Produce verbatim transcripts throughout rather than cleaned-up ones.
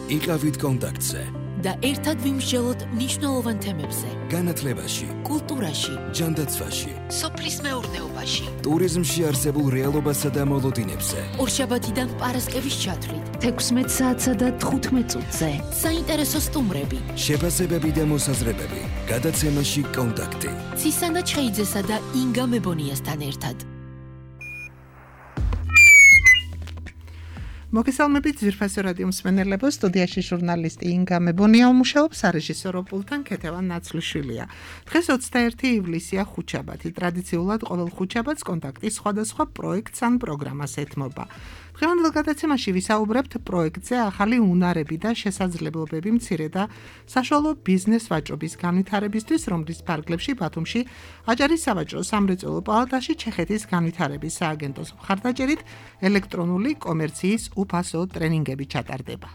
იყავით კონტაქტზე და ერთად ვიმსჯელოთ მნიშვნელოვან თემებზე. განათლებაში, კულტურაში, ჯანდაცვაში, სოფლის მეურნეობაში, ტურიზმში არსებულ რეალობასა და მოლოდინებზე. ორშაბათიდან პარასკევის ჩათვლით, თექვსმეტ საათსა და თხუთმეტ წუთზე. საინტერესო სტუმრები, შეფასებები და მოსაზრებები. გადაცემაში კონტაქტი. ცისანა ჩხეიძესა და ინგა მებონიასთან ერთად. მოგესალმებით ძვირფასო რადიო მსმენელებო, სტუდიაში ჟურნალისტი ინგა მებონია უმუშაობს, სარეჟისორო პულტთან ქეთევან ნაცლიშვილია. დღეს ოცდაერთი ივლისია, ხუთშაბათი. ტრადიციულად ყოველ ხუთშაბათს კონტაქტი სხვადასხვა პროექტს ან პროგრამას ეთმობა. დღევანდელ გადაცემაში ვისაუბრებთ პროექტზე ახალი უნარები და შესაძლებლობები მცირე და საშუალო ბიზნეს ვაჭრობის განვითარებისთვის, რომლის ფარგლებში ბათუმში აჭარის სავაჭრო სამრეწველო პალატაში ჩეხეთის განვითარების სააგენტოს მხარდაჭერით ელექტრონული კომერციის უფასო ტრენინგები ჩატარდება.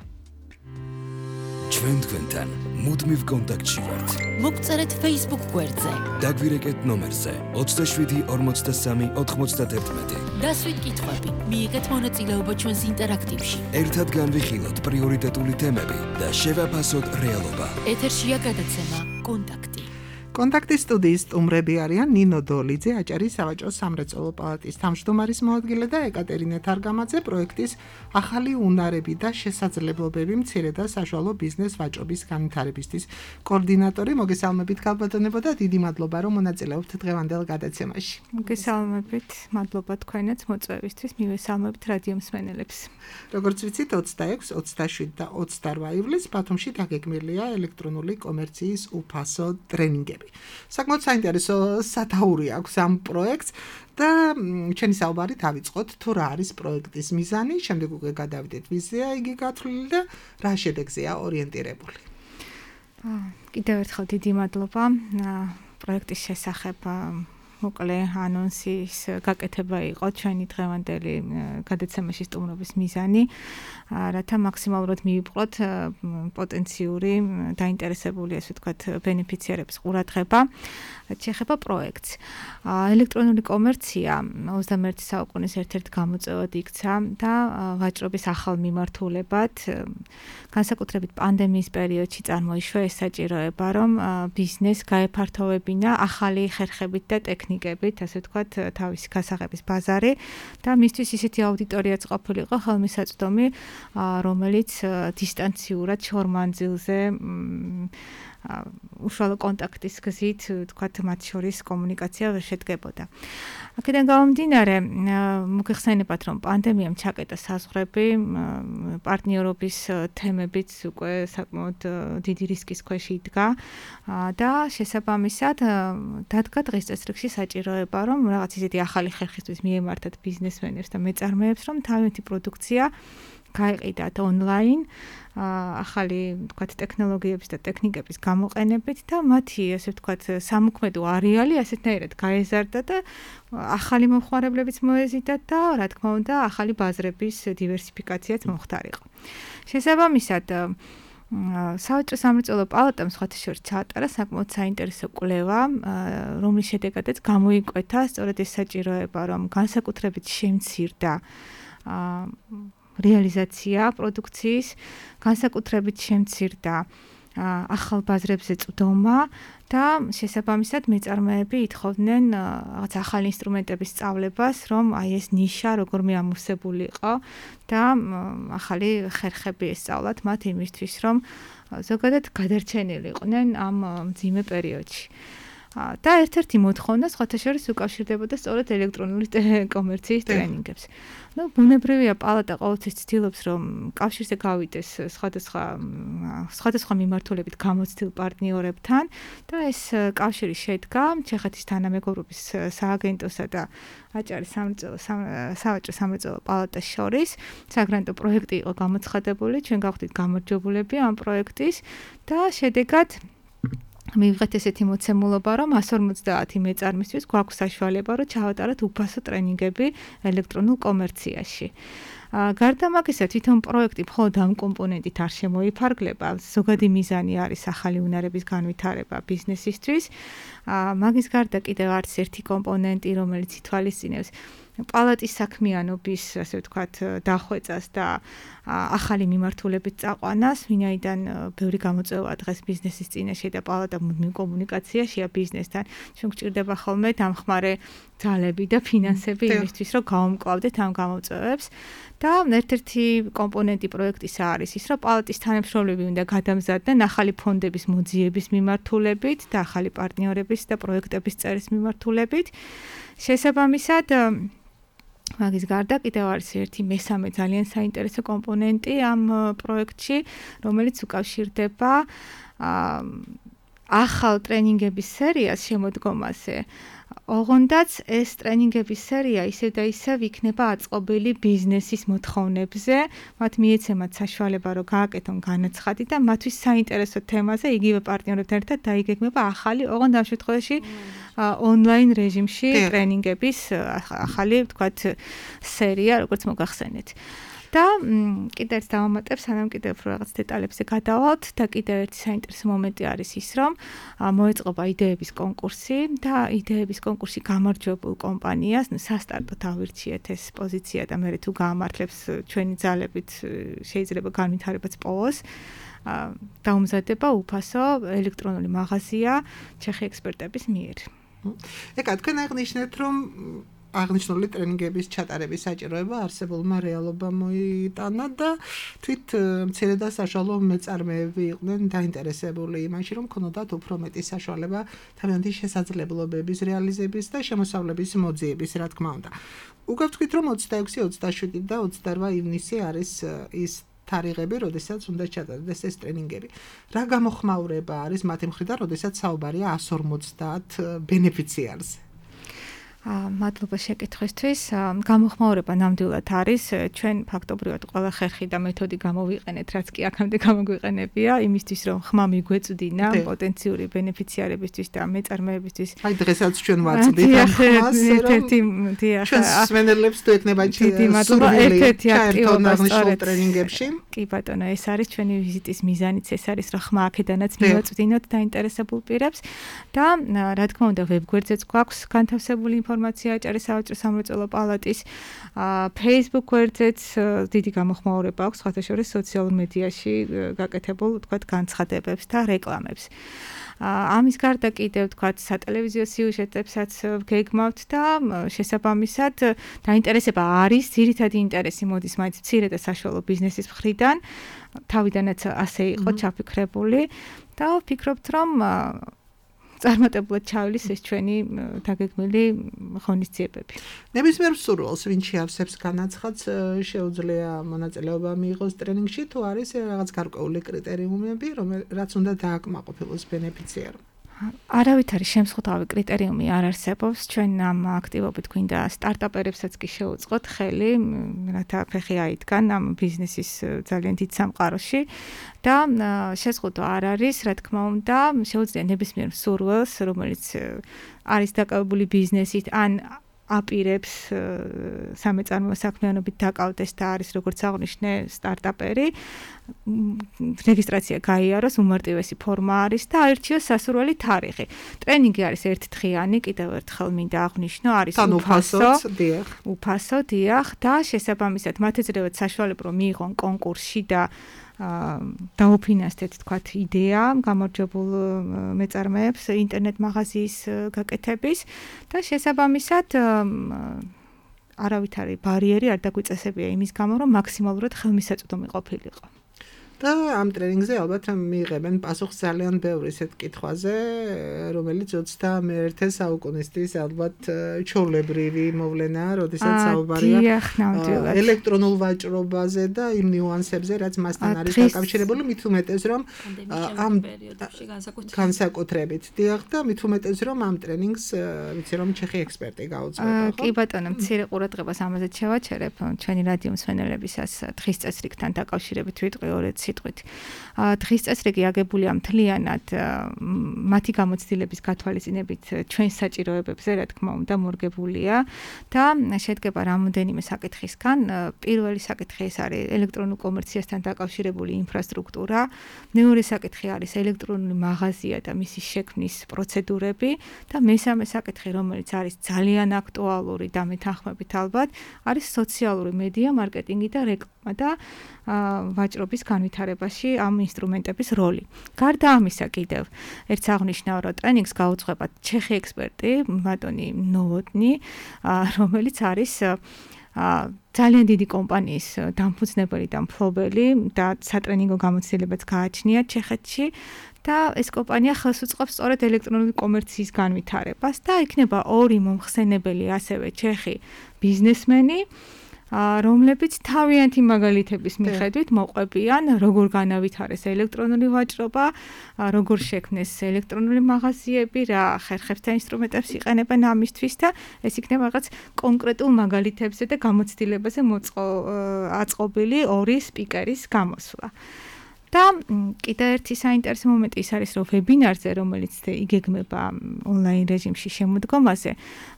ჩვენ თქვენთან მუდმივ კონტაქტში ვართ. მოგწერეთ Facebook გვერდზე. დაგვირეკეთ ნომერზე ოცდაშვიდი ორმოცდასამი ოთხმოცდაათი. დასვით კითხვები, მიიღეთ მონაწილეობა ჩვენს ინტერაქტივში. ერთად განვიხილოთ პრიორიტეტული თემები და შევაფასოთ რეალობა. ეთერშია გადაცემა კონტაქტი. კონტაქტის სტუდიის სტუმრები არიან ნინო დოლიძე, აჭარის სავაჭრო სამრეწველო პალატის თავმჯდომარის მოადგილე და ეკატერინე თარგამაძე, პროექტის ახალი უნარები და შესაძლებლობები მცირე და საშუალო ბიზნეს ვაჭრობის განვითარებისთვის კოორდინატორი. მოგესალმებით ქალბატონებო და დიდი მადლობა რომ მონაწილეობთ დღევანდელ გადაცემაში. მოგესალმებით, მადლობა თქვენაც მოწვევისთვის, მივესალმებით რადიო მსმენელებს. როგორც ვიცით, ოცდაექვსი, ოცდაშვიდი და ოცდარვა ივლისს ბათუმში დაგეგმილია ელექტრონული კომერციის უფასო ტრენინგები. საკმაოდ საინტერესო სათაური აქვს ამ პროექტს და ჩვენი საუბარი დავიწყოთ თუ რა არის პროექტის მიზანი, შემდეგ უკვე გადავიდეთ ვიზია იგი გათვლილი და რა შედეგზეა ორიენტირებული. კიდევ ერთხელ დიდი მადლობა პროექტის შესახებ მოკლე ანონსის გაკეთება იყო ჩვენი დღევანდელი გადაცემაში სტუმრობის მიზანი, რათა მაქსიმალურად მივიპყროთ პოტენციური დაინტერესებული, ასე ვთქვათ, ბენეფიციარების ყურადღება. შეეხება პროექტს. ელექტრონული კომერცია ოცდამეერთი საუკუნის ერთ-ერთ გამოწვევად იქცა და ვაჭრობის ახალ მიმართულებად, განსაკუთრებით პანდემიის პერიოდში წარმოიშვა ეს საჭიროება, რომ ბიზნეს გაეფართოვებინა ახალი ხერხებით და ტექნიკებით, ასე ვთქვათ, თავისი გასაღების ბაზარი და მისთვის ისეთი აუდიტორიაც ყოფილიყო ხელმისაწვდომი, რომელიც დისტანციურად შორმანძილზე უშუალო კონტაქტის გზით, თქვათ, მათ შორის კომუნიკაცია ვერ შედგებოდა. აქედან გამომდინარე, მოგეხსენებათ, რომ პანდემიამ ჩაკეტა საზღვრები, პარტნიორობის თემებიც უკვე საკმაოდ დიდი რისკის ქვეშ იდგა და შესაბამისად დადგა დღის წესრიგში საჭიროება, რომ რაღაც ისეთი ახალი ხერხისთვის მიემართათ ბიზნესმენებს და მეწარმეებს, რომ თავიანთი პროდუქცია გაეყიდათ ონლაინ ახალი, ვთქვათ, ტექნოლოგიების და ტექნიკების გამოყენებით და მათი, ასე ვთქვათ, სამოქმედო არეალი ასეთნაირად გაეზარდა და ახალი მომხმარებლებიც მოეზიდათ და, რა თქმა უნდა, ახალი ბაზრების დივერსიფიკაციაც მომხდარიყო. შესაბამისად, სავაჭრო სამრეწველო პალატამ სხვათა შორის ჩაატარა საკმაოდ საინტერესო კვლევა, რომლის შედეგადაც გამოიკვეთა სწორედ ეს საჭიროება, რომ განსაკუთრებით შემცირდა რეალიზაცია პროდუქციის, განსაკუთრებით შემცირდა ახალ ბაზრებზე წვდომა და შესაბამისად მეწარმეები ითხოვდნენ რაღაც ახალი ინსტრუმენტების სწავლებას, რომ აი ეს ნიშა როგორმე ამოვსებულიყო და ახალი ხერხები ესწავლათ მათ იმისთვის, რომ ზოგადად გადარჩენილიყვნენ ამ მძიმე პერიოდში. და ერთ-ერთი მოთხოვნა სხვათა შორის უკავშირდებოდა სწორედ ელექტრონული კომერციის ტრენინგებს. Ну, ბუნებრივია, პალატა ყოველთვის ცდილობს, რომ კავშირზე გავიდეს სხვადასხვა სხვადასხვა მიმართულებით გამოცდილ პარტნიორებთან და ეს კავშირი შედგა ჩეხეთის თანამეგობრობის სააგენტოსა და აჭარის სავაჭრო სამრეწველო პალატას შორის. საგრანტო პროექტი იყო გამოცხადებული, ჩვენ გავხდით გამარჯვებულები ამ პროექტის და შედეგად მივიღეთ ესეთი მოცემულობა, რომ εκατს ორმოცდაათი მეწარმისთვის გვაქვს საშუალება, რომ ჩავატაროთ უფასო ტრენინგები ელექტრონულ კომერციაში. გარდა მაგისა, თვითონ პროექტი მხოლოდ ამ კომპონენტით არ შემოიფარგლება, ზოგადი მიზანი არის ახალი უნარების განვითარება ბიზნესისთვის მაგის გარდა კიდევ არის ერთი კომპონენტი, რომელიც ითვალისწინებს პალატის საქმიანობის, ასე ვთქვათ, დახვეწას და ახალი მიმართულებით წაყვანას, ვინაიდან ბევრი გამოწვევა დღეს ბიზნესის წინაშე და პალატა მუდმივ კომუნიკაციაშია ბიზნესთან. ჩვენ გვჭირდება ხოლმე დამხმარე ძალები და ფინანსები იმისთვის, რომ გავუმკლავდეთ ამ გამოწვევებს. და ერთ-ერთი კომპონენტი პროექტისა არის ის, რომ პალატის თანამშრომლები უნდა გადამზადდნენ ახალი ფონდების მოძიების მიმართულებით და ახალი პარტნიორების და პროექტების წერის მიმართულებით. შესაბამისად, მაგის გარდა კიდევ არის ერთი მესამე ძალიან საინტერესო კომპონენტი ამ პროექტში, რომელიც უკავშირდება ახალ ტრენინგების სერიას შემოდგომაზე. ოღონდაც ეს ტრენინგების სერია ისევ და ისევ იქნება აწყობილი ბიზნესის მოთხოვნებზე, მათ მიეცემათ საშუალება, რომ გააკეთონ განაცხადი და მათთვის საინტერესო თემაზე იგივე პარტნიორებთან ერთად დაიგეგმება ახალი, ოღონდ ამ შემთხვევაში ონლაინ რეჟიმში ტრენინგების ახალი, ვთქვათ, სერია, როგორც მოგახსენეთ. და კიდევ ერთ დავამატებ, სანამ კიდევ უფრო რაღაც დეტალებზე გადავალთ და კიდევ ერთი საინტერესო მომენტი არის ის, რომ მოეწყობა იდეების კონკურსი და იდეების კონკურსი გამარჯვებულ კომპანიას სასტარტოდ ავირჩიეთ ეს პოზიცია და მე თუ გაამართლებს ჩვენი ძალებით შეიძლება განვითარებაც პოვოს. დაუმზადება უფასო ელექტრონული მაღაზია ჩეხი ექსპერტების მიერ. ეკა, თქვენ აღნიშნეთ, რომ აღნიშნული ტრენინგების ჩატარების საჭიროება არსებულმა რეალობამ მოიტანა და თვით მცირე და საშუალო მეწარმეები იყვნენ დაინტერესებული იმაში, რომ ქონოდათ უფრო მეტი საშუალება თავიანთი შესაძლებლობების რეალიზების და შემოსავლების მოძიების, რა თქმა უნდა. უგავთქვით, რომ ოცდაექვსი, ოცდაშვიდი და ოცდარვა ივნისი არის ის თარიღები, როდესაც უნდა ჩატარდეს ეს ტრენინგები. რა გამოხმაურება არის მათი მხრიდან, როდესაც საუბარია εκατს ორმოცდაათ ბენეფიციარზე? მადლობა შეკითხვისთვის. გამოხმაურება ნამდვილად არის. ჩვენ ფაქტობრივად ყველა ხერხი და მეთოდი გამოვიყენეთ, რაც კი აქამდე გამოგვიყენებია, იმისთვის, რომ ხმა მიგვეწვდინა პოტენციური ბენეფიციარებისთვის და მეწარმეებისთვის. აი დღესაც ჩვენ ვაწვდით ამ ხმას, რომ ჩვენ სვენელებს თუ ეკნება სურვილი ჩაერთონ აღნიშნულ ტრენინგებში. კი ბატონო, ეს არის ჩვენი ვიზიტის მიზანიც, ეს არის, რომ ხმა აქედანაც მივაწვდინოთ დაინტერესებულ პირებს და რა თქმა უნდა, ვებგვერდზეც გვაქვს განთავსებული ინფორმაცია აჭარის სავაჭრო სამრეწველო პალატის Facebook გვერდზეც დიდი გამოხმაურება აქვს, სხვათა შორის სოციალურ მედიაში გაკეთებულ, ვთქვათ, განცხადებებს და რეკლამებს. ამის გარდა კიდევ, ვთქვათ, სატელევიზიო სიუჟეტებსაც გეგმავთ და შესაბამისად დაინტერესება არის, ძირითადი ინტერესი მოდის მაინც მცირე და საშუალო ბიზნესის მხრიდან, თავიდანაც ასე იყო ჩაფიქრებული და ვფიქრობთ, რომ წარმატებულად ჩავლის ეს ჩვენი დაგეგმილი ღონისძიებები. ნებისმიერ მსურველს, ვინც შეავსებს განაცხადს, შეუძლია მონაწილეობა მიიღოს ტრენინგში, თუ არის რაღაც გარკვეული კრიტერიუმები, რაც უნდა დააკმაყოფილოს ბენეფიციარმა. არავითარი შემსხვავი კრიტერიუმი არ არსებობს. ჩვენ ამ აქტივობით გვინდა სტარტაპერებსაც კი შევუწყოთ ხელი, რათა ფეხი აიდგან ამ ბიზნესის ძალიან დიდ სამყაროში და შეზღუდვა არ არის, რა თქმა უნდა, შეუძლია ნებისმიერ მსურველს, რომელიც არის დაკავებული ბიზნესით ან აპირებს სამეწარმეო საქმიანობით დაკავდეს და არის როგორც აღნიშნე სტარტაპერი, რეგისტრაცია გაიაროს, უმარტივესი ფორმა არის და აირჩიოს სასურველი თარიღი. ტრენინგი არის ერთდღიანი, კიდევ ერთხელ მინდა აღვნიშნო, არის უფასო, უფასო, დიახ და შესაბამისად მათ ეძებათ საშუალება, რომ მიიღონ კონკურსში და დაუფინანსდეთ, თქვათ, იდეა გამარჯვებულ მეწარმეებს ინტერნეტ მაღაზიის გაკეთების და შესაბამისად არავითარი ბარიერი არ დაგვიწესებია იმის გამო, რომ მაქსიმალურად ხელმისაწვდომი ყოფილიყო. და ამ ტრენინგზე ალბათ მიიღებენ პასუხს ძალიან ბევრ ისეთ კითხვაზე, რომელიც ოცდამეერთე საუკუნისთვის ალბათ ჩვეულებრივი მოვლენაა, როდესაც საუბარია ელექტრონულ ვაჭრობაზე და იმ ნიუანსებზე, რაც მასთან არის დაკავშირებული, მით უმეტეს, რომ ამ განსაკუთრებით დიახ და მით უმეტეს, რომ ამ ტრენინგს ვიცი რომ ჩეხი ექსპერტი გაუძღვება, ხო? კი ბატონო, მცირე ყურადღებას ამაზე შევაჩერებ ჩვენი რადიო მსმენელებისას დღის წესრიგთან დაკავშირებით ვიტყვი ორ სიტყვით. დღის წესრიგი აგებულია მთლიანად მათი გამოცდილების გათვალისწინებით ჩვენ საჭიროებებზე, რა თქმა უნდა, მორგებულია და შედგება რამოდენიმე საკითხისგან. პირველი საკითხი ეს არის ელექტრონულ კომერციასთან დაკავშირებული ინფრასტრუქტურა, მეორე საკითხი არის ელექტრონული მაღაზია და მისი შექმნის პროცედურები და მესამე საკითხი, რომელიც არის ძალიან აქტუალური და მეთანხმებით ალბათ, არის სოციალური მედია, მარკეტინგი და რეკლამა და ვაჭრობის განვითარებაში ამ ინსტრუმენტების როლი. გარდა ამისა კიდევ ერთ აღნიშნავ, რომ ტრენინგს გაუძღვება ჩეხი ექსპერტი ბატონი ნოვოტნი, რომელიც არის ძალიან დიდი კომპანიის დამფუძნებელი და მფლობელი და სატრენინგო გამოცდილებაც გააჩნია ჩეხეთში და ეს კომპანია ხელს უწყობს სწორედ ელექტრონული კომერციის განვითარებას და იქნება ორი მომხსენებელი ასევე ჩეხი ბიზნესმენი, რომლებიც თავიანთი მაგალითების მიხედვით მოყვებიან, როგორ განავითარეს ელექტრონული ვაჭრობა, როგორ შექმნეს ელექტრონული მაღაზიები, რა ხერხებს და ინსტრუმენტებს იყენებენ ამისთვის და ეს იქნება რაღაც კონკრეტულ მაგალითებზე და გამოცდილებაზე აწყობილი ორი სპიკერის გამოსვლა. და კიდევ ერთი საინტერესო მომენტი ის არის, რომ ვებინარზე, რომელიც იგეგმება ონლაინ რეჟიმში შემოდგომაზე,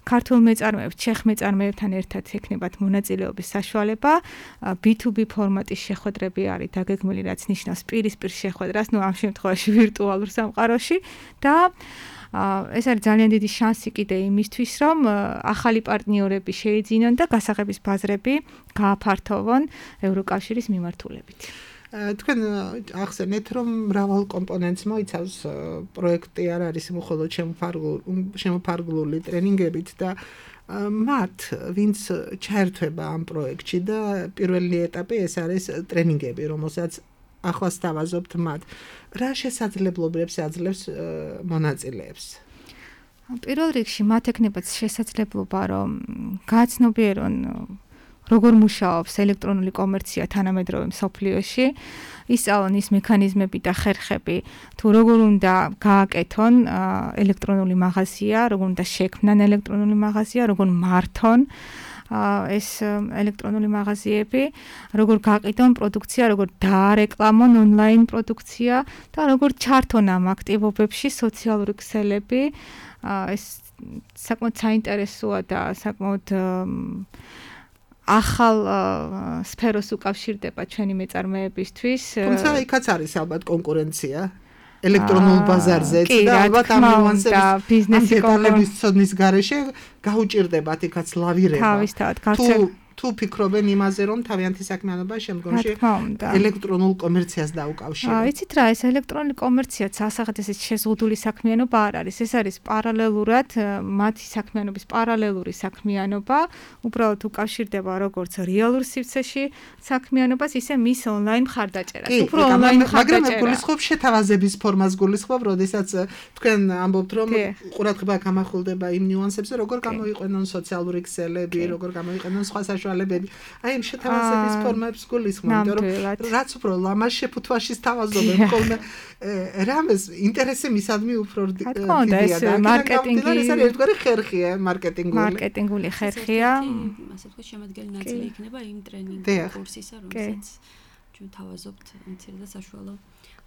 ქართულ მეწარმეებს, ჩეხ მეწარმეებთან ერთად ექნებათ მონაწილეობის საშუალება, ბი თუ ბი ფორმატის შეხვედრები არის დაგეგმილი, რაც ნიშნავს პირისპირ შეხვედრას, ну ამ შემთხვევაში ვირტუალურ სამყაროში და ეს არის ძალიან დიდი შანსი კიდე იმისთვის, რომ ახალი პარტნიორები შეიძინონ და გასაღების ბაზრები გააფართოვონ ევროკავშირის მიმართულებით. თქვენ ახსენეთ, რომ მრავალ კომპონენტს მოიცავს პროექტი, არ არის მხოლოდ შემოფარგლული ტრენინგებით და მათ, ვინც ჩაერთვება ამ პროექტში და პირველი ეტაპი ეს არის ტრენინგები, რომელსაც ახლა სთავაზობთ მათ. რა შესაძლებლობებს აძლევს მონაწილეებს? პირველ რიგში მათ ექნებათ შესაძლებლობა, რომ გააცნობიერონ როგორ მუშაობს ელექტრონული კომერცია თანამედროვე მსოფლიოში, ისწავლონ ის მექანიზმები და ხერხები, თუ როგორ უნდა გააკეთონ ელექტრონული მაღაზია, როგორ უნდა შექმნან ელექტრონული მაღაზია, როგორ მართონ ეს ელექტრონული მაღაზიები, როგორ გაყიდონ პროდუქცია, როგორ დაარეკლამონ ონლაინ პროდუქცია და როგორ ჩართონ ამ აქტივობებში სოციალური ქსელები. ეს საკმაოდ საინტერესოა და საკმაოდ ახალ სფეროს უკავშირდება ჩვენი მეწარმეებისთვის. თუმცა იქაც არის ალბათ კონკურენცია ელექტრონულ ბაზარზე და ალბათ ამ ნიუანსების ბიზნესი კონკურენციის ცოდნის გარეშე გაუჭირდებათ იქაც ლავირება. თავისთავად გავრცელება. თუ ფიქრობენ იმაზე, რომ თავიანთი საქმიანობა შემდგომში ელექტრონულ კომერციას დაუკავშირებენ. იცით რა, ეს ელექტრონული კომერციაც ასაღად ესეც შეზღუდული საქმიანობა არ არის. ეს არის პარალელურად მათი საქმიანობის პარალელური საქმიანობა, უბრალოდ უკავშირდება როგორც რეალურ სივრცეში საქმიანობას, ისე მის ონლაინ მხარდაჭერას. უფრო ონლაინ მხარდაჭერა. მაგრამ გულისხმობ შეთავაზების ფორმას გულისხმობ, როდესაც თქვენ ამბობთ, რომ ყურადღება გამახვილდება იმ ნიუანსებზე, როგორ გამოიყენონ სოციალური ქსელები, როგორ გამოიყენონ სხვა საშუალებები. აი იმ შეთავაზების ფორმებს გულისხმობ, რომ რაც უფრო ლამაზ შეფუთვაში სთავაზობენ ხოლმე რამეს ინტერესი მისადმი უფრო დიდია და მარკეტინგი ეს არის ერთგვარი ხერხია, მარკეტინგული. მარკეტინგული ხერხია. ასე ვთქვათ, შემადგენელი ნაწილი იქნება იმ ტრენინგ კურსისა, რომელსაც ჩვენ თავაზობთ მცირე და საშუალო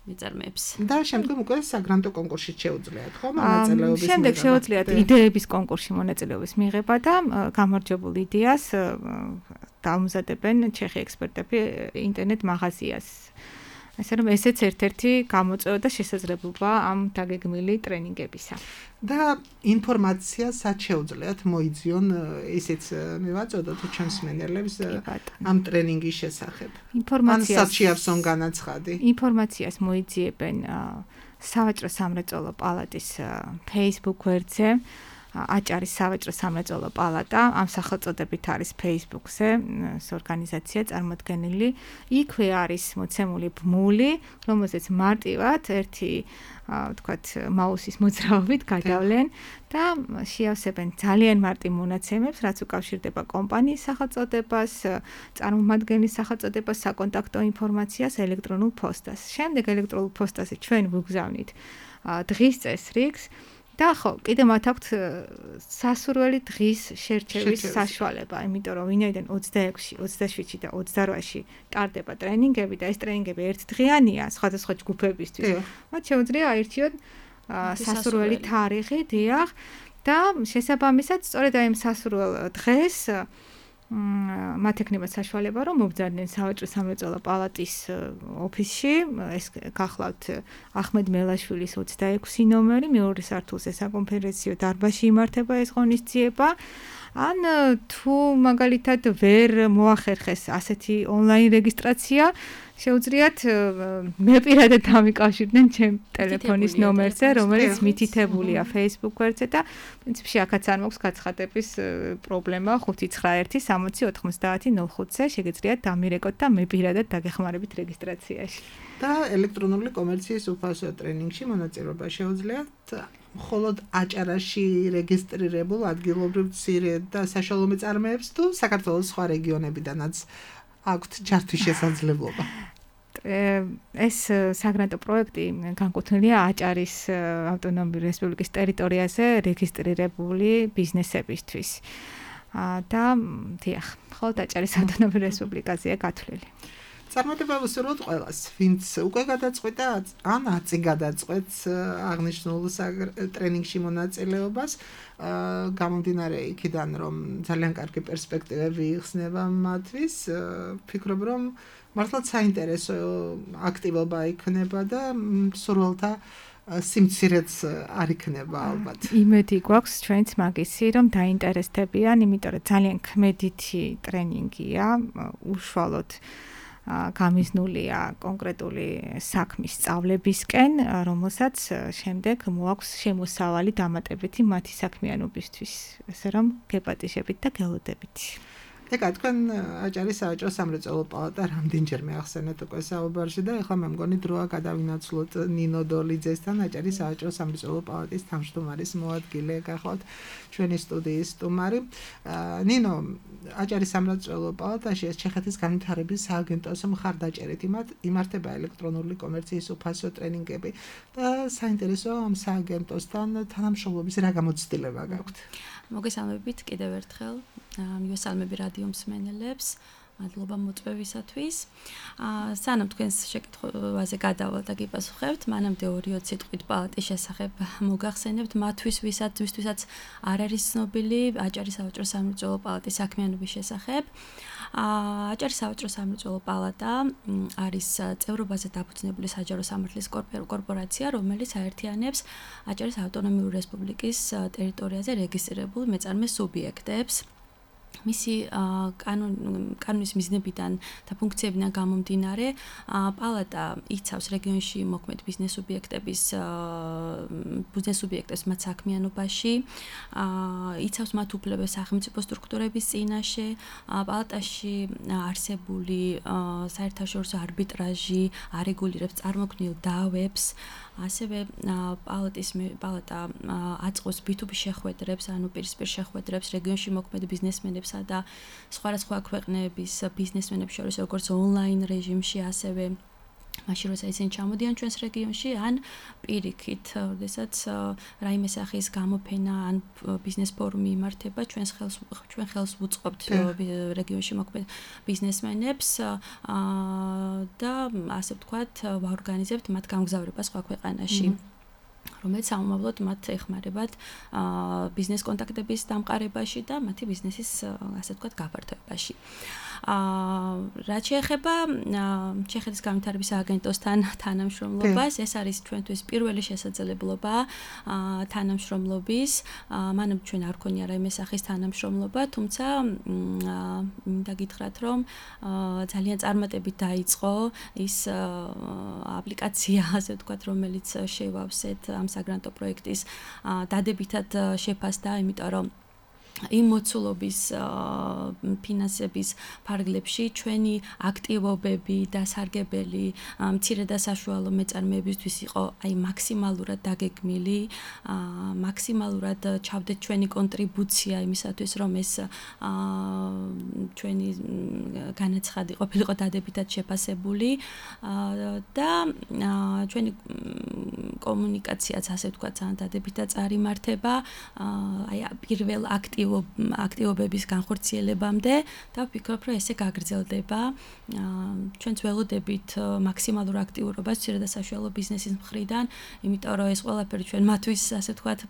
მეწარმეებს. და შემდგომ უკვე საგრანტო კონკურსში შეუძლიათ, ხო, მონაწილეობის მიღება. შემდეგ შეუძლიათ იდეების კონკურსში მონაწილეობის მიღება და გამარჯვებულ იდეას დაამზადებენ ჩეხი ექსპერტები ინტერნეტ მაღაზიას. ასე რომ ესეც ერთ-ერთი გამოწვევა და შესაძლებლობა ამ დაგეგმილი ტრენინგებისა. და ინფორმაცია სად შეუძლიათ მოიძიონ, ისიც მივაწოდოთ ჩვენს მენელებს ამ ტრენინგის შესახებ. ინფორმაციას სად შეავსონ განაცხადი? ინფორმაციას მოიძიებენ სავაჭრო სამრეწველო პალატის Facebook გვერდზე. აჭარის სავაჭრო სამრეწველო პალატა ამ სახელწოდებით არის Facebook-ზე ეს ორგანიზაცია წარმოდგენილი. იქვე არის მოცემული ბმული, რომელზეც მარტივად ერთი ვთქვათ მაუსის მოძრაობით გადავლენ და შეავსებენ ძალიან მარტივ მონაცემებს, რაც უკავშირდება კომპანიის სახელწოდებას, წარმომადგენლის სახელწოდებას, საკონტაქტო ინფორმაციას, ელექტრონულ ფოსტას. შემდეგ ელექტრონულ ფოსტაზე ჩვენ ვიგზავნით დღის წესრიგს და ხო, კიდე მათ აქვთ სასურველი დღის შერჩევის საშუალება, იმიტომ რომ ვინაიდან ოცდაექვსი, ოცდაშვიდში და ოცდაოთხში ტარდება ტრენინგები და ეს ტრენინგები ერთდღიანია სხვადასხვა ჯგუფებისთვის. მათ შეუძლია აირჩიონ სასურველი თარიღი, დიახ, და შესაბამისად, სწორედ აი ამ სასურველ დღეს მათ ექნება საშუალება, რომ მობრძანდნენ სავაჭრო სამრეწველო პალატის ოფისში, ეს გახლავთ ახმედ მელაშვილის ოცდაექვსი ნომერი, მეორე სართულზე საკონფერენციო დარბაზში იმართება ეს ღონისძიება. ან თუ მაგალითად ვერ მოახერხეს ასეთი ონლაინ რეგისტრაცია, შეუძლიათ მე პირადად დამიკავშირდნენ ჩემ ტელეფონის ნომერზე, რომელიც მითითებულია Facebook გვერდზე და პრინციპში აქაც არ მაქვს გაცხადების პრობლემა ხუთი ცხრა ერთი სამოცი ოთხმოცდაათი ნულ ხუთზე შეგიძლიათ დამირეკოთ და მე პირადად დაგეხმარებით რეგისტრაციაში. და ელექტრონული კომერციის უფასო ტრენინგში მონაწილეობა შეუძლიათ მხოლოდ აჭარაში რეგისტრირებულ ადგილობრივ მცირე და საშუალო მეწარმეებს თუ საქართველოს სხვა რეგიონებიდანაც აქვთ ჩართვის შესაძლებლობა. ეს საგრანტო პროექტი განკუთვნილია აჭარის ავტონომიური რესპუბლიკის ტერიტორიაზე რეგისტრირებული ბიზნესებისთვის. და დიახ, მხოლოდ აჭარის ავტონომიური რესპუბლიკაზეა გათვლილი. წარმატება ვუსურვოთ ყველას, ვინც უკვე გადაწყვეტა ან აწი გადაწყვეტს აღნიშნულ ტრენინგში მონაწილეობას, გამომდინარე იქიდან, რომ ძალიან კარგი პერსპექტივები იხსნება მათთვის, ფიქრობ, რომ მართლაც საინტერესო აქტივობა იქნება და სურვილთა სიმცირეც არ იქნება ალბათ. იმედი გვაქვს ჩვენც მაგისი, რომ დაინტერესდებიან, იმიტომ რომ ძალიან ქმედითი ტრენინგია, უშუალოდ გამიზნულია კონკრეტული საქმის სწავლებისკენ, რომელსაც შემდეგ მოაქვს შემოსავალი დამატებითი მათი საქმიანობისთვის, ესე რომ გეპატიჟებით და გელოდებით. ეკა, თქვენ აჭარის სავაჭრო სამრეწველო პალატა რამდენჯერმე ახსენეთ უკვე საუბარში და ეხლა მე მგონი დროა გადავინაცვლოთ ნინო დოლიძესთან, აჭარის სავაჭრო სამრეწველო პალატის თავმჯდომარის მოადგილე, გახლავთ ჩვენი სტუდიის სტუმარი. ნინო, აჭარის სამრეწველო პალატაში ეს ჩეხეთის განვითარების სააგენტოს მხარდაჭერით იმართება ელექტრონული კომერციის უფასო ტრენინგები და საინტერესოა ამ სააგენტოსთან თანამშრომლობის რა გამოცდილება გაქვთ? მოგესალმებით კიდევ ერთხელ. მივესალმები რადიო მსმენელებს. მადლობა მოწვევისათვის. სანამ თქვენს შეკითხვაზე გადავალ და გიპასუხებთ, მანამდე ორი-ოც სიტყვით პალატის შესახებ მოგახსენებთ, მათთვის ვისაც ვისთვისაც არ არის ცნობილი აჭარის სავაჭრო სამრეწველო პალატის საქმიანობის შესახებ. აჭარის სავაჭრო სამრეწველო პალატა არის წევრობაზე დაფუძნებული საჯარო სამართლის კორპორაცია, რომელიც აერთიანებს აჭარის ავტონომიური რესპუბლიკის ტერიტორიაზე რეგისტრირებულ მეწარმე სუბიექტებს. მისი კანონის მიზნებიდან და ფუნქციებიდან გამომდინარე, პალატა იცავს რეგიონში მოქმედ ბიზნეს სუბიექტების ბიზნეს სუბიექტებს მათ საქმიანობაში, იცავს მათ უფლებებს სახელმწიფო სტრუქტურების წინაშე, პალატაში არსებული საერთაშორისო არბიტრაჟი არეგულირებს წარმოქმნილ დავებს, ასევე პალატის პალატა აწყობს ბი თუ ბი შეხვედრებს, ანუ პირისპირ შეხვედრებს რეგიონში მოქმედ ბიზნესმენებსა და სხვადასხვა ქვეყნების ბიზნესმენებს შორის, როგორც ონლაინ რეჟიმში, ასევე მაშინ როცა ისინი ჩამოდიან ჩვენს რეგიონში, ან პირიქით, როდესაც რაიმე სახის გამოფენა ან ბიზნეს ფორუმი იმართება, ჩვენს ხელს ჩვენ ხელს ვუწყობთ რეგიონში მოქმედ ბიზნესმენებს და ასე ვთქვათ, ვაორგანიზებთ მათ გამგზავრება სხვა ქვეყანაში. რომელიც სამომავლოდ მათ ეხმარებათ ბიზნეს კონტაქტების დამყარებაში და მათი ბიზნესის, ასე ვთქვათ, გაფართოებაში. რაც შეეხება ჩეხეთის განვითარების სააგენტოსთან თანამშრომლობას, ეს არის ჩვენთვის პირველი შესაძლებლობა თანამშრომლობის. მანამ ჩვენ არ გქონია რაიმე სახის თანამშრომლობა, თუმცა მინდა გითხრათ, რომ ძალიან წარმატებით დაიწყო ის აპლიკაცია, ასე ვთქვათ, რომელიც შევავსეთ ამ საგრანტო პროექტის დადებითად შეფასდა, იმიტომ რომ იმ მოცულობის ფინანსების ფარგლებში ჩვენი აქტივობები და სარგებელი მცირე და საშუალო მეწარმეებისთვის იყო აი მაქსიმალურად დაგეგმილი, მაქსიმალურად ჩავდეთ ჩვენი კონტრიბუცია იმისათვის, რომ ეს ჩვენი განაცხადი ყოფილიყო დადებითად შეფასებული და ჩვენი კომუნიკაციაც ასე ვთქვათ, ძალიან დადებითად წარიმართება, აი პირველ აქტივ აქტივობების განხორციელებამდე და ვფიქრობ, რომ ესე გაგრძელდება. ჩვენც ველოდებით მაქსიმალურ აქტიურობას მცირე და საშუალო ბიზნესის მხრიდან, იმიტომ რომ ეს ყველაფერი ჩვენ მათთვის ასე ვთქვათ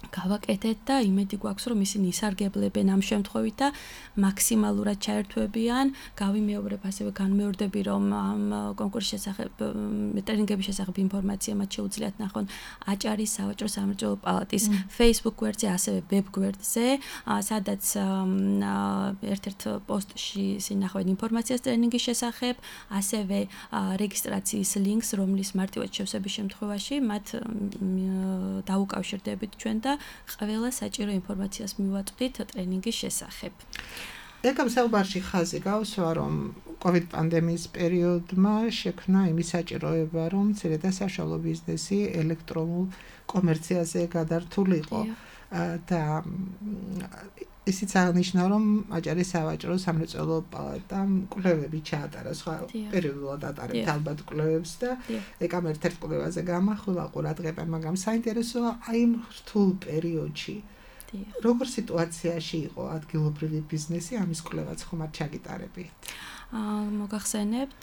გავაკეთეთ და იმედი გვაქვს, რომ ისინი ისარგებლებენ ამ შემთხვევით და მაქსიმალურად ჩაერთვებიან. გავიმეორებ, ასევე განმეორდები, რომ ამ კონკურსის შესახებ, ტრენინგების შესახებ ინფორმაცია მათ შეუძლიათ ნახონ აჭარის სავაჭრო სამრეწველო პალატის Facebook გვერდზე, ასევე web გვერდზე, სადაც ერთ-ერთ პოსტში სინახავენ ინფორმაციას ტრენინგის შესახებ, ასევე რეგისტრაციის ლინკს, რომლის მარტივად შევსების შემთხვევაში მათ დაუკავშირდებით ჩვენ და ყველა საჭირო ინფორმაციას მივაწვდით ტრენინგის შესახებ. ეკამ საუბარში ხაზი გავსვა, რომ COVID პანდემიის პერიოდმა შექმნა იმის საჭიროება, რომ მცირე და საშუალო ბიზნესი ელექტრონულ კომერციაზე გადართულიყო და ისიც აღნიშნა, რომ აჭარის სავაჭრო სამრეწველო პალატამ კვლევები ჩაატარა, სხვა პერიოდულად ატარებთ ალბათ კვლევებს და ეკამ ერთ-ერთ კვლევაზე გამახვილა ყურადღება, მაგრამ საინტერესოა აი იმ რთულ პერიოდში როგორ სიტუაციაში იყო ადგილობრივი ბიზნესი, ამის კვლევაც ხომ არ ჩაგიტარებით? მოგახსენებთ,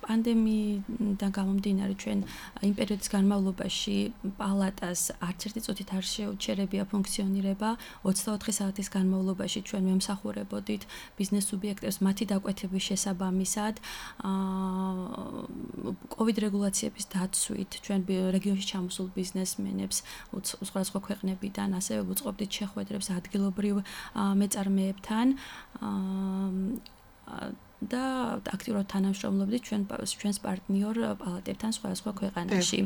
პანდემიიდან გამომდინარე ჩვენ იმ პერიოდის განმავლობაში პალატას არც ერთი წუთით არ შეუჩერებია ფუნქციონირება. ოცდაოთხი საათის განმავლობაში ჩვენ მემსახურებოდით ბიზნეს სუბიექტებს მათი დაკვეთების შესაბამისად. COVID რეგულაციების დაცვით ჩვენ რეგიონში ჩამოსულ ბიზნესმენებს სხვადასხვა ქვეყნებიდან ასევე ვუწყობდით შეხვედრებს ადგილობრივ მეწარმეებთან. და აქტიურად თანამშრომლობდით ჩვენ ჩვენს პარტნიორ პალატებთან სხვადასხვა ქვეყანაში.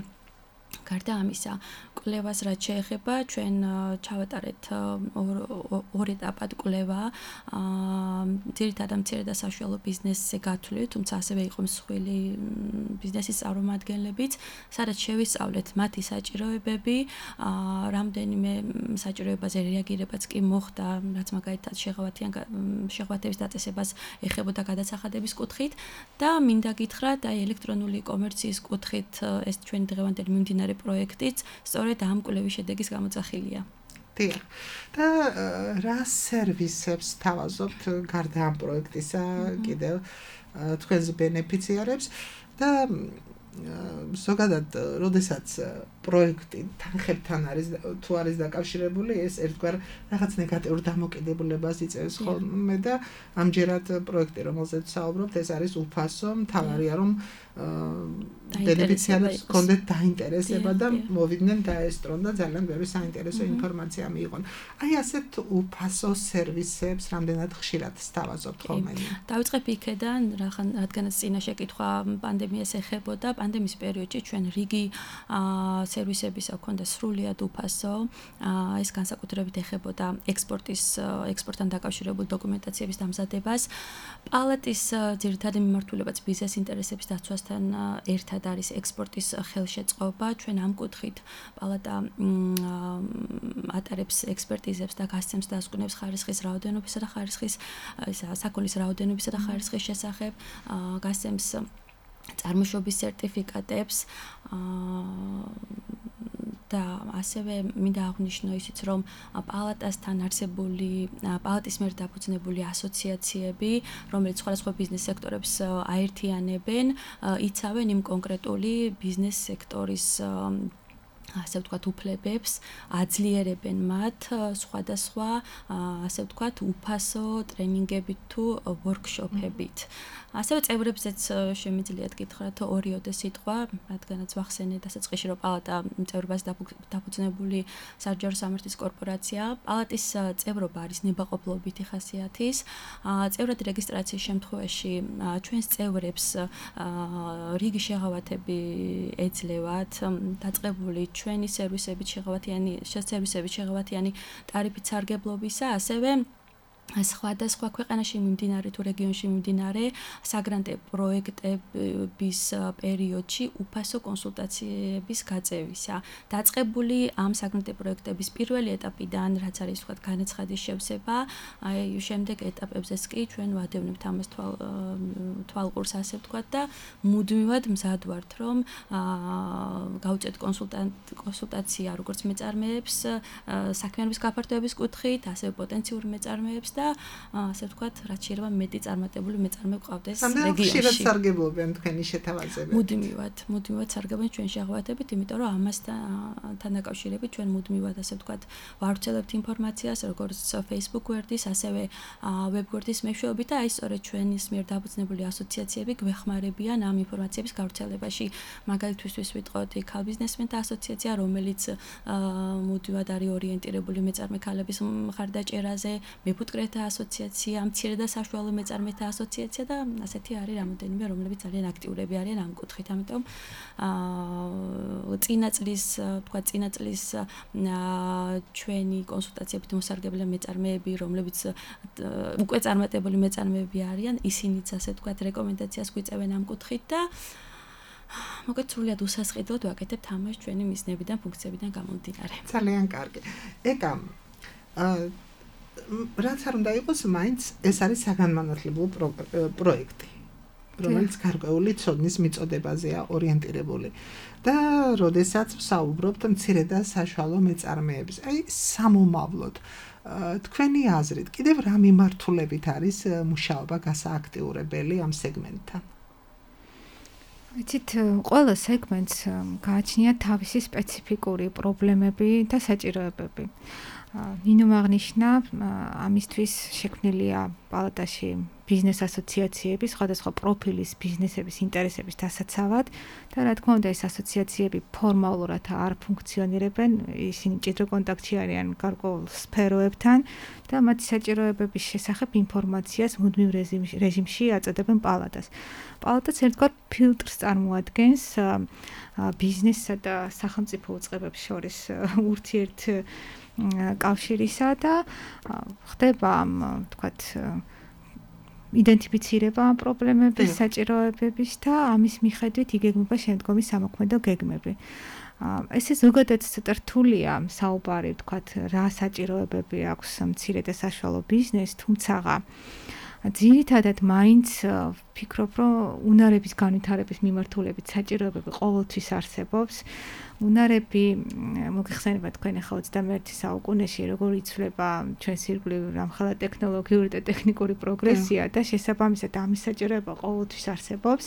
გარდა ამისა, კვლევას რაც შეეხება, ჩვენ ჩავატარეთ ორ ეტაპად კვლევა, ძირითადად მცირე და საშუალო ბიზნესზე გათვლით, თუმცა ასევე იყო მსხვილი ბიზნესის წარმომადგენლებიც, სადაც შევისწავლეთ მათი საჭიროებები, რამდენიმე საჭიროებაზე რეაგირებაც კი მოხდა, რაც მაგალითად შეღავათიან შეღავათების დაწესებას ეხებოდა გადასახადების კუთხით და მინდა გითხრათ, აი ელექტრონული კომერციის კუთხით ეს ჩვენი დღევანდელი მიმდინარე პროექტიც სწორედ ამ კვლევის შედეგის გამოძახილია. დიახ. და რა სერვისებს თავაზობთ გარდა ამ პროექტისა კიდევ თქვენს ბენეფიციარებს და ზოგადად, როდესაც პროექტი თანხებთან არის თუ არის დაკავშირებული, ეს ერთგვარ რაღაც ნეგატიურ დამოკიდებულებას იწევს ხოლმე და ამჯერად პროექტი, რომელზეც საუბრობთ, ეს არის უფასო, მთავარია რომ ბენეფიციარებს ჰქონდეთ დაინტერესება და მოვიდნენ დაესწრონ და ძალიან ბევრი საინტერესო ინფორმაცია მიიღონ. აი ასეთ უფასო სერვისებს რამდენად ხშირად სთავაზობთ ხოლმე? დავიწყებ იქედან, რადგანაც წინა შეკითხვა პანდემიას ეხებოდა, პანდემიის პერიოდში ჩვენ რიგი სერვისებისა ჰქონდა სრულიად უფასო. ეს განსაკუთრებით ეხებოდა ექსპორტის ექსპორტთან დაკავშირებულ დოკუმენტაციების დამზადებას. პალატის ძირითადი მიმართულებაც ბიზნეს ინტერესების დაცვასთან ერთად არის ექსპორტის ხელშეწყობა. ჩვენ ამ კუთხით პალატა ატარებს ექსპერტიზებს და გასცემს დასკვნებს ხარისხის რაოდენობისა და ხარისხის საქონლის რაოდენობისა და ხარისხის შესახებ, გასცემს წარმოშობის სერტიფიკატებს და ასევე მინდა აღვნიშნო ისიც, რომ პალატასთან არსებული პალატის მიერ დაფუძნებული ასოციაციები, რომელიც სხვადასხვა ბიზნეს სექტორებს აერთიანებენ, იცავენ იმ კონკრეტული ბიზნეს სექტორის ასე ვთქვათ უფლებებს, აძლიერებენ მათ სხვადასხვა ასე ვთქვათ უფასო ტრენინგებით თუ ვორქშოპებით. ასევე წევრებზეც შემიძლიათ გითხრათ ორიოდე სიტყვა, რადგანაც ვახსენეთ დასაწყისში, რომ პალატა წევრობას დაფუძნებული საჯარო სამართლის კორპორაცია. პალატის წევრობა არის ნებაყოფლობითი ხასიათის. წევრად რეგისტრაციის შემთხვევაში ჩვენს წევრებს რიგი შეღავათები ეძლევათ, დაწყებული ჩვენი სერვისებით შეღავათიანი სერვისებით შეღავათიანი ტარიფით სარგებლობისა, ასევე სხვადასხვა ქვეყანაში მიმდინარე თუ რეგიონში მიმდინარე საგრანტე პროექტების პერიოდში უფასო კონსულტაციების გაწევისა. დაწყებული ამ საგრანტე პროექტების პირველი ეტაპიდან, რაც არის თქვა განაცხადის შევსება, აი შემდეგ ეტაპებზეც კი ჩვენ ვადევნებთ ამას თვალ თვალყურს ასე ვთქვა და მუდმივად მზად ვართ, რომ გავუწევთ კონსულტაცია როგორც მეწარმეებს საქმიანობის გაფართოების კუთხით, ასევე პოტენციური მეწარმეებს და ასე ვთქვათ, რაც შეიძლება მეტი წარმატებული მეწარმე გვყავდეს რეგიონში. ხშირად სარგებლობენ თქვენი შეთავაზებებით. მუდმივად, მუდმივად სარგებლობენ ჩვენ შეღავათებით, იმიტომ რომ ამასთან დაკავშირებით ჩვენ მუდმივად ასე ვთქვათ, ვავრცელებთ ინფორმაციას, როგორც Facebook გვერდის, ასევე web გვერდის მეშვეობით და აი სწორედ ჩვენის მიერ დაფუძნებული ასოციაციები გვეხმარებიან ამ ინფორმაციების გავრცელებაში. მაგალითისთვის ვიტყოდ ქალ ბიზნესმენთა ასოციაცია, რომელიც მუდმივად არის ორიენტირებული მეწარმე ქალების მხარდაჭერაზე, მეფუტკრეთა ასოციაცია, მცირე და საშუალო მეწარმეთა ასოციაცია და ასეთი არის რამოდენიმე, რომლებიც ძალიან აქტიურები არიან ამ კუთხით. ამიტომ აა წინა წლის, თქვა წინა წლის ჩვენი კონსულტაციებით მოსარგებლე მეწარმეები, რომლებიც უკვე წარმატებული მეწარმეები არიან, ისინიც ასე ვთქვათ რეკომენდაციას გვიწევენ ამ კუთხით და მოგეთ სრულად უსასყიდლოდ ვაკეთებთ ამას ჩვენი მიზნებიდან, ფუნქციებიდან გამომდინარე. ძალიან კარგი. ეკა რაც არ უნდა იყოს, მაინც ეს არის საგანმანათლებლო პროექტი, რომელიც გარკვეული ცოდნის მიწოდებაზეა ორიენტირებული. და როდესაც ვსაუბრობთ მცირე და საშუალო მეწარმეებს, აი სამომავლოდ თქვენი აზრით, კიდევ რა მიმართულებით არის მუშაობა გასააქტიურებელი ამ სეგმენტთან? იცით, ყველა სეგმენტს გააჩნია თავისი სპეციფიკური პრობლემები და საჭიროებები. ნინომ აღნიშნა, ამისთვის შექმნილია პალატაში ბიზნეს ასოციაციები, სხვადასხვა პროფილის ბიზნესების ინტერესების დასაცავად და რა თქმა უნდა ეს ასოციაციები ფორმალურად არ ფუნქციონირებენ, ისინი მჭიდრო კონტაქტში არიან გარკვეულ სფეროებთან და მათი საჭიროებების შესახებ ინფორმაციას მუდმივ რეჟიმში აწოდებენ პალატას. პალატაც ერთგვარ ფილტრს წარმოადგენს ბიზნესსა და სახელმწიფო უწყებებს შორის ურთიერთ კავშირისა და ხდება ამ თქვათ იდენტიფიცირება პრობლემების, საჭიროებების და ამის მიხედვით იგეგმება შემდგომი სამოქმედო გეგმები. ესე ზოგადად ცოტა რთულია საუბარი, თქვათ, რა საჭიროებები აქვს მცირე და საშუალო ბიზნესს, თუმცა ძირითადად მაინც ვფიქრობ, რომ უნარების განვითარების მიმართულებით საჭიროებები ყოველთვის არსებობს. უნარები მოგეხსენება თქვენ ახლა ოცდამეერთე საუკუნეში როგორ იცვლება ჩვენს ირგვლივ რამხელა ტექნოლოგიური და ტექნიკური პროგრესია და შესაბამისად ამის საჭიროება ყოველთვის არსებობს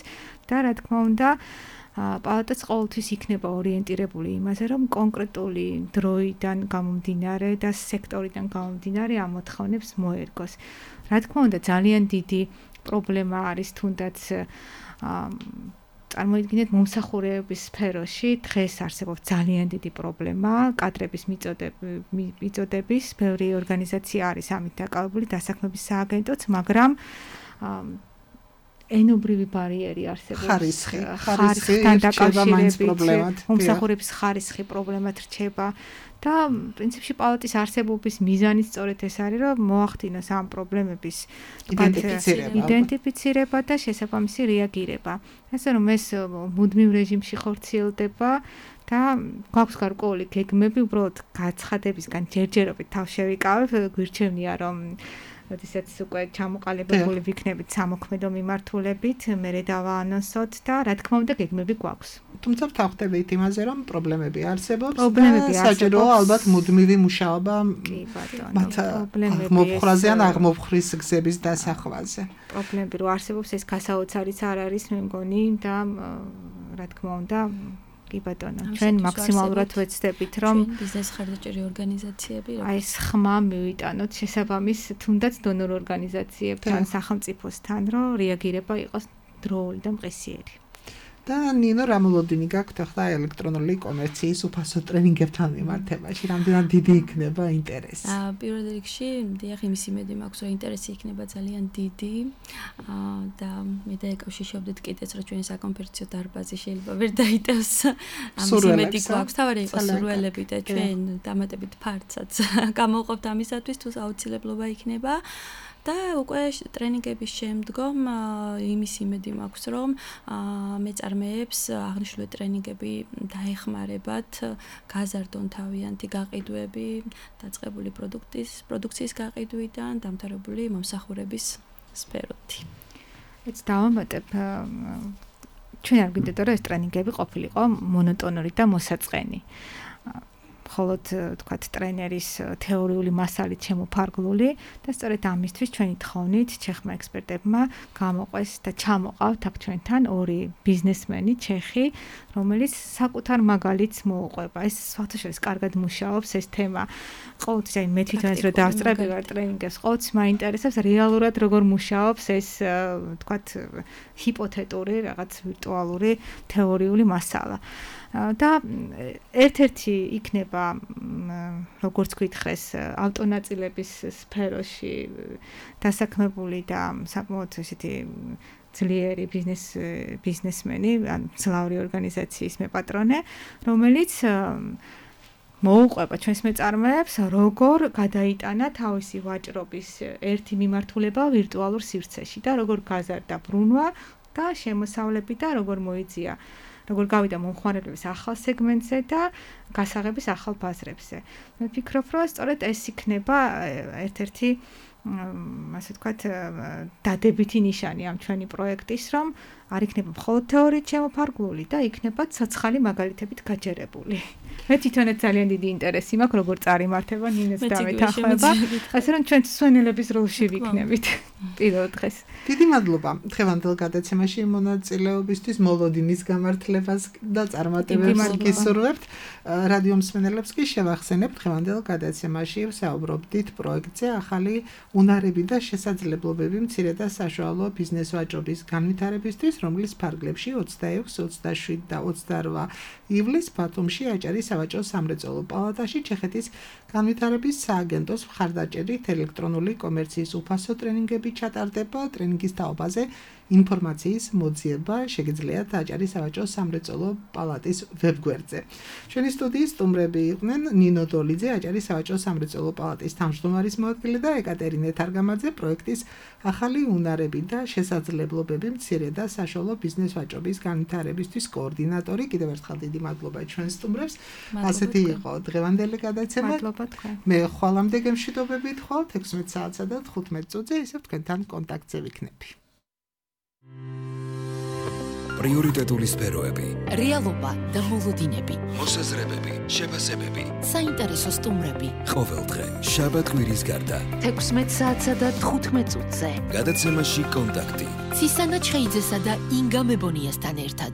და რა თქმა უნდა პალატაც ყოველთვის იქნება ორიენტირებული იმაზე, რომ კონკრეტული დროიდან გამომდინარე და სექტორიდან გამომდინარე ამ მოთხოვნებს მოერგოს. რა თქმა უნდა, ძალიან დიდი პრობლემა არის თუნდაც წარმოიდგინეთ მომსახურების სფეროში დღეს არსებობს ძალიან დიდი პრობლემა, კადრების მიწოდების, ბევრი ორგანიზაცია არის ამით დაკავებული, დასაქმების სააგენტოც, მაგრამ ენობრივი ბარიერი არსებობს. ხარისხი, ხარისხთან დაკავშირებით, მომსახურების ხარისხი პრობლემად რჩება და პრინციპში პალატის არსებობის მიზანიც სწორედ ეს არის, რომ მოახდინოს ამ პრობლემების იდენტიფიცირება და შესაბამისი რეაგირება. ასე რომ ეს მუდმივ რეჟიმში ხორციელდება და გვაქვს გარკვეული გეგმები, უბრალოდ გაცხადებისგან ჯერჯერობით თავს შევიკავებ, გვირჩევნია რომ როდესაც უკვე ჩამოყალიბებული ვიქნებით სამოქმედო მიმართულებით, მერე დავაანონსოთ და რა თქმა უნდა გეგმები გვაქვს. თუმცა ვთანხმდებით იმაზე, რომ პრობლემები არსებობს პრობლემები და საჭიროა ალბათ მუდმივი მუშაობა მათ აღმოფხრაზე ან აღმოფხრის გზების დასახვაზე. პრობლემები რო არსებობს, ეს გასაოცარიც არ არის, მე მგონი და რა თქმა უნდა კი ბატონო, ჩვენ მაქსიმალურად ვეცდებით, რომ ბიზნეს ხარდაჭერი ორგანიზაციები, აი ეს ხმა მივიტანოთ შესაბამის თუნდაც დონორ ორგანიზაციებთან, სახელმწიფოსთან, რომ რეაგირება იყოს დროული და მყისიერი. და ნინო რამოლოდინი გაქვთ ახლა ელექტრონული კომერციის უფასო ტრენინგებთან მიმართებაში, რამდენად დიდი იქნება ინტერესი? აა პირველ რიგში, დიახ, იმის იმედი მაქვს, რომ ინტერესი იქნება ძალიან დიდი. აა და მე დაეკავშირებდით კიდეც, რომ ჩვენი საკონფერენციო დარბაზი შეიძლება ვერ დაიტევს. ამის იმედი გვაქვს, თავარი იყოს სურველები და ჩვენ დამატებით ფართსაც გამოვყოფთ ამისათვის, თუ აუცილებლობა იქნება. და უკვე ტრენინგების შემდგომ იმის იმედი მაქვს, რომ მეწარმეებს აღნიშნული ტრენინგები დაეხმარებათ გაზარდონ თავიანთი გაყიდვები, დაწყებული პროდუქტის, პროდუქციის გაყიდვიდან დამთავრებული მომსახურების სფეროთი. ეს დავამატებ ჩვენ არ გვინდათ რომ ეს ტრენინგები ყოფილიყო მონოტონური და მოსაწყენი. მხოლოდ თქვათ ტრენერის თეორიული მასალით შემოფარგლული და სწორედ ამისთვის ჩვენი თხოვნით ჩეხმა ექსპერტებმა გამოყვეს და ჩამოყავთ აქ ჩვენთან ორი ბიზნესმენი ჩეხი, რომელიც საკუთარ მაგალითს მოუყვება. ეს საერთოდ კარგად მუშაობს ეს თემა. ყოველთვის აი მე თვითონაც რომ დავსწრები ვარ ტრენინგებს, ყოველთვის მაინტერესებს რეალურად როგორ მუშაობს ეს თქვათ ჰიპოთეტური რაღაც ვირტუალური თეორიული მასალა. და ერთ-ერთი იქნება როგორც გითხრეს ავტონაწილების სფეროში დასაქმებული და საკმაოდ ესეთი ძლიერი ბიზნეს ბიზნესმენი, ან მძლავრი ორგანიზაციის მეპატრონე, რომელიც მოუყვება ჩვენს მეწარმეებს, როგორ გადაიტანა თავისი ვაჭრობის ერთი მიმართულება ვირტუალურ სივრცეში და როგორ გაზარდა ბრუნვა და შემოსავლები და როგორ მოიწია როგორ გავიდა მომხმარებლების ახალ სეგმენტზე და გასაღების ახალ ბაზრებზე. მე ვფიქრობ, რომ სწორედ ეს იქნება ერთ-ერთი ასე ვთქვათ დადებითი ნიშანი ამ ჩვენი პროექტის, რომ არ იქნება მხოლოდ თეორიით შემოფარგლული და იქნება ცოცხალი მაგალითებით გაჯერებული. მე თვითონაც ძალიან დიდი ინტერესი მაქვს, როგორ წარიმართება ნინოს დამეთანხმება, ასე რომ ჩვენ სვენელების როლში ვიქნებით პირველ დღეს. დიდი მადლობა დღევანდელ გადაცემაში მონაწილეობისთვის, მოლოდინის გამართლებას და წარმატებებს გისურვებთ. რადიო მსმენელებს კი შევახსენებთ, დღევანდელ გადაცემაში ვსაუბრობდით პროექტზე ახალი უნარები და შესაძლებლობები მცირე და საშუალო ბიზნეს ვაჭრობის განვითარებისთვის, რომლის ფარგლებში ოცდაექვსი, ოცდაშვიდი და ოცდარვა ივლისს ბათუმში აჭარის სავაჭრო სამრეწველო პალატაში ჩეხეთის განვითარების სააგენტოს მხარდაჭერით ელექტრონული კომერციის უფასო ტრენინგები ჩატარდება. ტრენინგის თაობაზე ინფორმაციის მოძიება შეგიძლიათ აჭარის სავაჭრო სამრეწველო პალატის ვებგვერდზე. ჩვენი სტუდიის სტუმრები იყვნენ ნინო დოლიძე, აჭარის სავაჭრო სამრეწველო პალატის თავმჯდომარის მოადგილე და ეკატერინე თარგამაძე, პროექტის ახალი უნარები და შესაძლებლობები მცირე და საშუალო ბიზნეს ვაჭრობის განვითარებისთვის კოორდინატორი. კიდევ ერთხელ დიდი მადლობა ჩვენ სტუმრებს. ასეთი იყო დღევანდელი გადაცემა. მადლობა თქვენ. მე ხვალამდე გემშვიდობებით ხვალ ექვსმეტ საათსა და თხუთმეტ წუთზე ისევ თქვენთან კონტაქტზე ვიქნები. პრიორიტეტული სფეროები, რეალობა და მოლოდინები, მოსაზრებები, შეფასებები, საინტერესო სტუმრები. ყოველდღე შაბათ-კვირის გარდა ექვსმეტ საათსა და თხუთმეტ წუთზე. გადაცემაში კონტაქტი. ცისანა ჩხეიძესა და ინგა მებონიასთან ერთად.